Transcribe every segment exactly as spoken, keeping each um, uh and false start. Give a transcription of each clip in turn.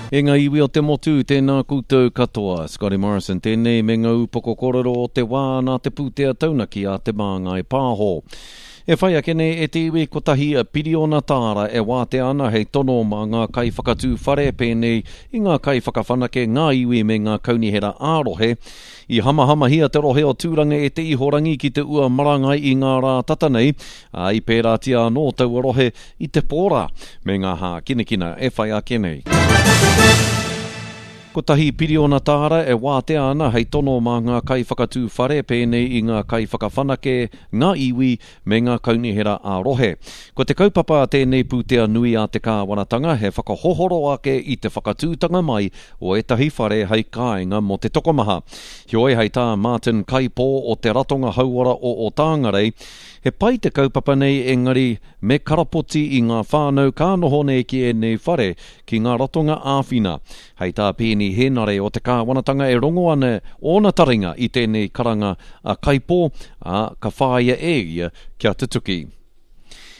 E ngā iwi o te motu, tēnā koutou katoa. Scotty Morrison tēnei me ngā upoko kōrero o te wā nā te pūtea taunaki a Te Māngai Pāho. E whai ake nei e te iwi kotahi piriona tāra e wātea ana hei tono mā ngā kaiwhakatū whare pēnei i ngā kaiwhakawhanake, ngā iwi me ngā kaunihera ā-rohe. I hamahamahia te rohe o Tūranga e te ihorangi ki te ua marangai i ngā rā tata nei, ā, i pērātia anō taua rohe i te pō rā me ngā hākinakina e whai ake nei. Kotahi piriona tāra e wātea ana hei tono mā ngā kaiwhakatū whare pēnei i ngā kaiwhakawhanake, ngā iwi me ngā kaunihera ā-rohe. Ko te kaupapa a tēnei pūtea nui a te kāwanatanga he whakahohoro ake i te whakatūtanga mai o ētahi whare hei kāinga mō te tokomaha. Heoi hei tā Martin Kaipō o te Ratonga Hauora o Otāngarei, he pai te kaupapa nei engari me karapoti i ngā whānau ka noho nei ki ēnei whare ki ngā ratonga āwhina. Hei tā Peeni Henare o te kāwanatanga e rongo ana ōna taringa i tēnei karanga a Kaipō, ā, ka whāia e ia kia tutuki.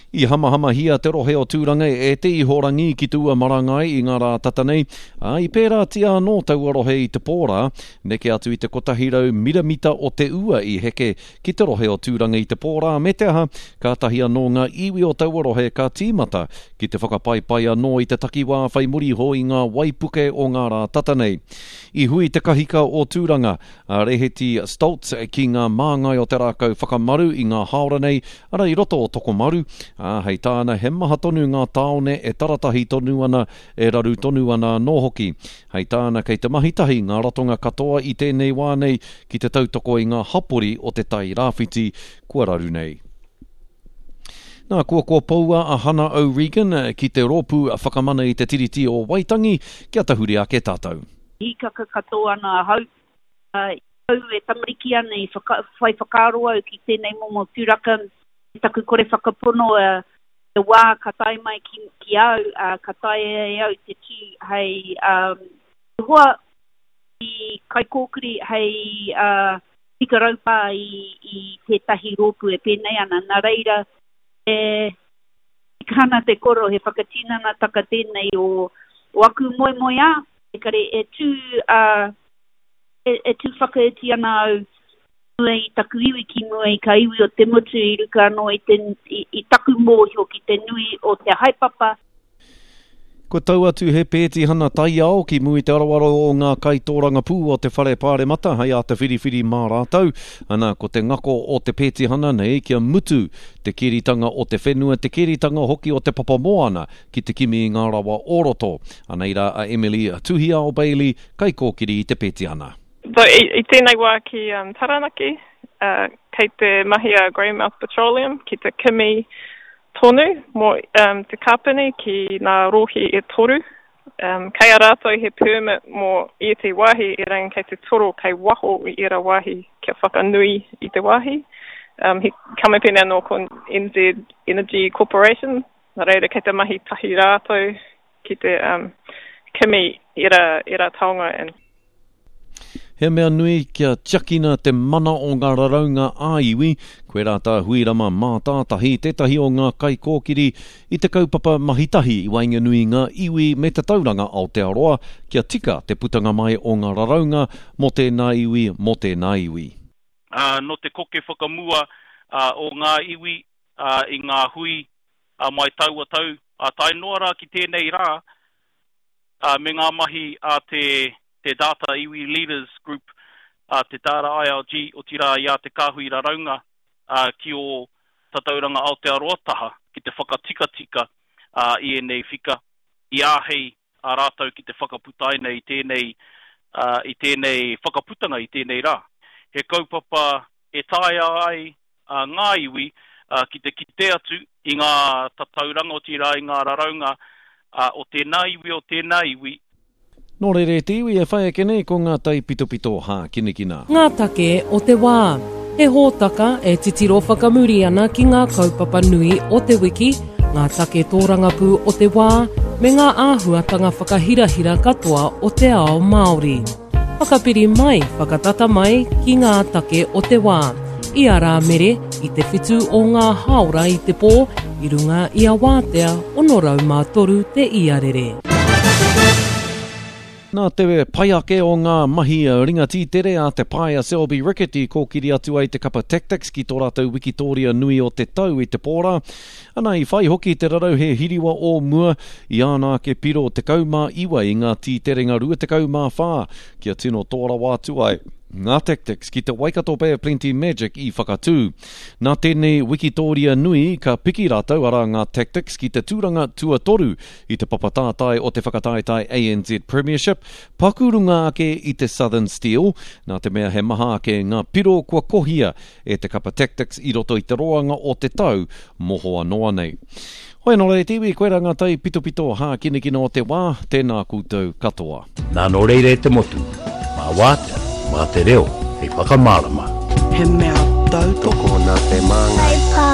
I hamahamahia te rohe o Tūranga e te ihorangi ki te ua marangai i ngā rā tata nei, ā, i pērātia anō taua rohe i te pō rā, neke atu i te kotahi rau miramita o te ua i heke ki te rohe o Tūranga i te pō rā, me te aha, kātahi anō ngā iwi o taua rohe ka tīmata ki te whakapaipai anō i te takiwā whai muri iho i ngā waipuke o ngā rā tata nei. I hui te kahika o Tūranga, a Reheti Stoltz ki ngā māngai o te rākau whakamaru i ngā hāora nei, ara i roto o Tokomaru, ā, hei tāna he maha tonu ngā tāone e taratahi tonu ana, e raru tonu ana anō hoki. Hei tāna kei te mahi tahi ngā ratonga katoa i tēnei wā nei ki te tautoko i ngā hapori o te Tai Rāwhiti kua raru nei. Nā, kua kua poua a Hana O'Regan ki te rōpū whakamana i te Tiriti o Waitangi kia tahuri ake tātou. Hīkaka katoa ana ahau. Uh, au e tamariki ana i whaka, whai whakaaro au ki tēnei momo tūraka, taku kore whakapono uh, te wā ka tae mai ki, ki au, uh, ka taea e au te tū hei um, hoa i kaikōkiri hei uh, tika raupā i, i tētahi rōpū e pēnei ana. Nā reira, e tika ana te koro, he whakatinanataka tēnei o, o aku moemoeā, e kare e tū, uh, e, e tū whakaiti ana au mua i taku iwi ki mua i ka iwi o te motu i ruka anō i, te, i, i taku mōhio ki te nui o te haepapa. Kua tau atu he pētihana taiao ki mua i te aroaro o ngā kaitōrangapū o te whare pāremata hei āta whiriwhiri mā rātou. Ana, ko te ngako o te pētihana nei kia mutu te keritanga o te whenua, te keritanga hoki o te papamoana ki te kimi i ngā rawa o roto. Anei rā a Emily Tuhiao Bailey, kaikōkiri i te pētihana. So, i, i tēnei wā ki um, Taranaki, uh, kei te mahi a Greymouth Petroleum ki te kimi tonu mō um, te kāpene ki ngā rohe e toru. Um, kei a rātou he permit mō ētahi wāhi erangi kei te toro kei waho i era wāhi kia whakanui i te wāhi. Um, he kamupene anō ko N Z Energy Corporation, nā reira kei te mahi tahi rātou ki te um, kimi era, era taonga. And He mea nui kia tiakina te mana o ngā raraunga ā-iwi, koe rā tā Huirama Mātātahi, tētahi o ngā kaikōkiri i te kaupapa mahi tahi i waenganui ngā iwi me te tauranga Aotearoa, kia tika te putanga mai o ngā raraunga mō tēnā iwi, mō tēnā iwi. Uh, no te koke whakamua, uh, o ngā iwi, uh, i ngā hui, uh, mai taua tau, uh, tae noa rā ki tēnei rā, uh, me ngā mahi a te, te Data Iwi Leaders Group, uh, te Data I L G, o tira i a te kāhui raraunga, uh, ki o Tatauranga Aotearoa taha, ki te whakatikatika, uh, i ēnei whika, i āhei a rātou ki te whakaputaina i tēnei, uh, i tēnei whakaputanga i tēnei rā. He kaupapa e taea ai, uh, ngā iwi, uh, ki te kite atu i ngā tatauranga o tira i ngā raraunga, uh, o tēnā iwi, o tēnā iwi. Nō reira e te iwi e whai ake nei ko ngā taipitopito hākinakina. Ngā take o te wā. He hōtaka e titiro whakamuri ana ki ngā kaupapa nui o te wiki, ngā take tōrangapū o te wā, me ngā āhuatanga whakahirahira katoa o te ao Māori. Whakapiri mai, whakatata mai ki ngā take o te wā. I a Rāmere, i te whitu o ngā hāora i te pō, i runga i a Wātea, ono rau mā toru te iarere. Nā te pai ake o ngā mahi ringa tītere a te pae a Selby Rickett i kōkiri atu ai te kapa Tactix ki tō rātou wikitōria nui o te tau i te pōra. Ana i whai hoki te rarauhe hiriwa o mua i āna ake piro tekau mā iwa i ngā tīterenga rua tekau mā whā kia tino tō rawa atu ai ngā Tactix ki te Waikato Bay of Plenty Magic i Whakatū. Nā tēnei wikitōria nui ka piki rātou arā ngā Tactix ki te tūranga tuatoru i te papatātai o te whakataetae A N Z Premiership, paku runga ake i te Southern Steel, nā te mea he maha ake ngā piro kua kohia e te kapa Tactix i roto i te roanga o te tau mohoa noa nei. Hoi anō rā e te iwi, koirā ngā tai pitopito hākinakina o te wā, tēnā koutou katoa. Nā nō reira e te motu, mā wātea, mā te reo, hei whakamārama. He mea tautoko nā te māngai.